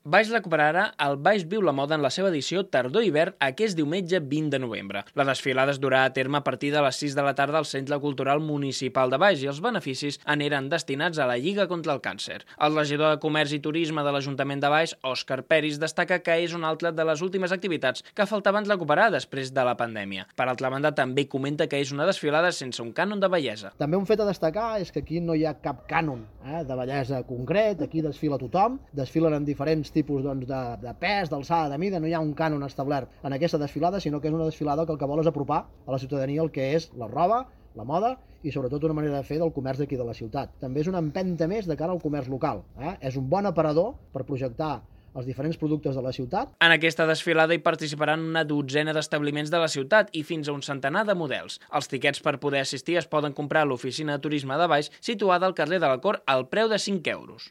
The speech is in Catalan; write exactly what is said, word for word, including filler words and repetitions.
Baix recuperarà el Baix Viu la Moda en la seva edició tardor-hivern aquest diumenge vint de novembre. La desfilada es durà a terme a partir de les sis de la tarda al Centre Cultural Municipal de Baix i els beneficis aniran destinats a la Lliga contra el Càncer. El regidor de Comerç i Turisme de l'Ajuntament de Baix, Òscar Peris, destaca que és una altra de les últimes activitats que faltaven recuperar després de la pandèmia. Per altra banda, també comenta que és una desfilada sense un cànon de bellesa. També un fet a destacar és que aquí no hi ha cap cànon eh, de bellesa concret, aquí desfila tothom, desfilen en diferents tipus doncs, de, de pes, d'alçada, de mida, no hi ha un cànon establert en aquesta desfilada, sinó que és una desfilada que el que vol és apropar a la ciutadania el que és la roba, la moda i sobretot una manera de fer del comerç d'aquí de la ciutat. També és una empenta més de cara al comerç local. Eh? És un bon aparador per projectar els diferents productes de la ciutat. En aquesta desfilada hi participaran una dotzena d'establiments de la ciutat i fins a un centenar de models. Els tiquets per poder assistir es poden comprar a l'oficina de turisme de Baix, situada al carrer de la Cort, al preu de cinc euros.